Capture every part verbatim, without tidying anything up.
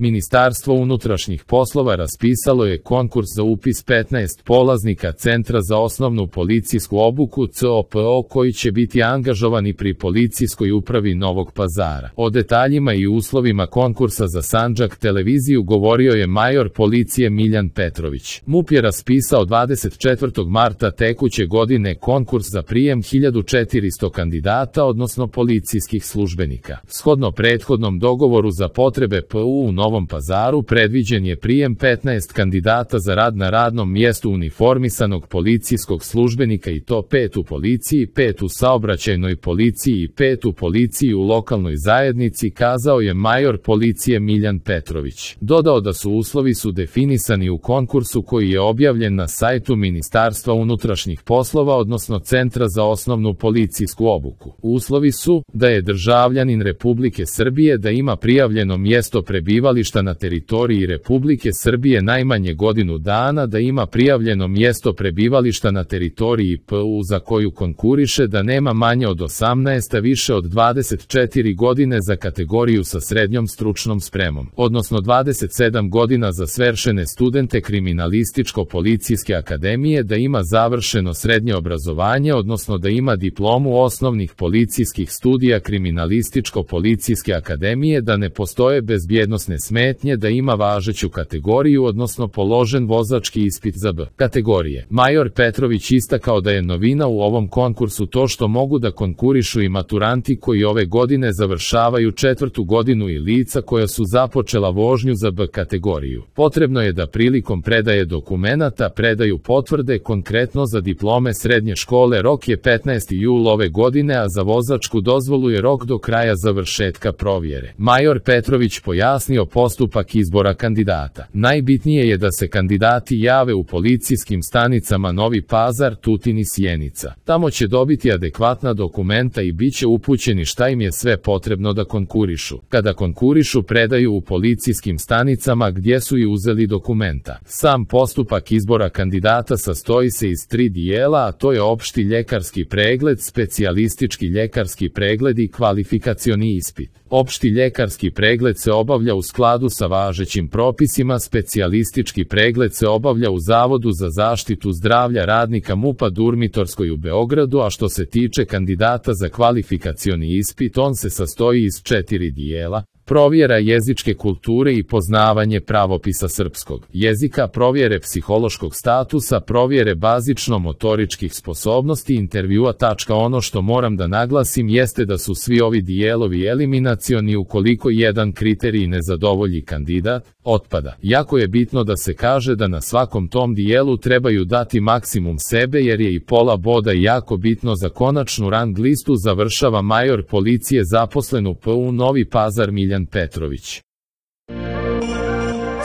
Ministarstvo unutrašnjih poslova raspisalo je konkurs za upis petnaest polaznika Centra za osnovnu policijsku obuku C O P O koji će biti angažovani pri Policijskoj upravi Novog Pazara. O detaljima i uslovima konkursa za Sandžak televiziju govorio je major policije Miljan Petrović. MUP je raspisao dvadeset četvrtog marta tekuće godine konkurs za prijem hiljadu četiristo kandidata, odnosno policijskih službenika. Shodno prethodnom dogovoru za potrebe P U u Novom Pazaru predviđen je prijem petnaest kandidata za rad na radnom mjestu uniformisanog policijskog službenika i to pet u policiji, pet u saobraćajnoj policiji i pet u policiji u lokalnoj zajednici, kazao je major policije Miljan Petrović. Dodao da su uslovi su definisani u konkursu koji je objavljen na sajtu Ministarstva unutrašnjih poslova, odnosno Centra za osnovnu policijsku obuku. Uslovi su da je državljanin Republike Srbije, da ima prijavljeno mjesto prebivališta na teritoriji Republike Srbije najmanje godinu dana, da ima prijavljeno mjesto prebivališta na teritoriji P U za koju konkuriše, da nema manje od osamnaest, a više od dvadeset četiri godine za kategoriju sa srednjom stručnom spremom, odnosno dvadeset sedam godina za svršene studente Kriminalističko-policijske akademije, da ima završeno srednje obrazovanje, odnosno da ima diplomu osnovnih policijskih studija Kriminalističko-policijske akademije, da ne postoje bezbjednosne smetnje, da ima važeću kategoriju, odnosno položen vozački ispit za B kategorije. Major Petrović istakao da je novina u ovom konkursu to što mogu da konkurišu i maturanti koji ove godine završavaju četvrtu godinu i lica koja su započela vožnju za B kategoriju. Potrebno je da prilikom predaje dokumenata predaju potvrde, konkretno za diplome srednje škole rok je petnaesti jul ove godine, a za vozačku dozvolu je rok do kraja završetka provjere. Major Petrović pojasnio postupak izbora kandidata. Najbitnije je da se kandidati jave u policijskim stanicama Novi Pazar, Tutin i Sjenica. Tamo će dobiti adekvatna dokumenta i bit će upućeni šta im je sve potrebno da konkurišu. Kada konkurišu predaju u policijskim stanicama gdje su i uzeli dokumenta. Sam postupak izbora kandidata sastoji se iz tri dijela, a to je opšti ljekarski pregled, specijalistički ljekarski pregled i kvalifikacioni ispit. Opšti ljekarski pregled se obavlja u skladu sa važećim propisima, specijalistički pregled se obavlja u Zavodu za zaštitu zdravlja radnika MUP-a Durmitorskoj u Beogradu, a što se tiče kandidata za kvalifikacioni ispit, on se sastoji iz četiri dijela. Provjera jezičke kulture i poznavanje pravopisa srpskog jezika, provjere psihološkog statusa, provjere bazično-motoričkih sposobnosti, intervjua. Ono što moram da naglasim jeste da su svi ovi dijelovi eliminacioni ukoliko jedan kriterij ne zadovolji kandidat, otpada. Jako je bitno da se kaže da na svakom tom dijelu trebaju dati maksimum sebe jer je i pola boda jako bitno za konačnu rang listu, završava major policije zaposlen u P U Novi Pazar Miljan Petrović.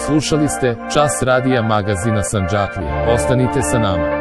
Slušali ste Čas radija magazina Sandžaklije. Ostanite sa nama.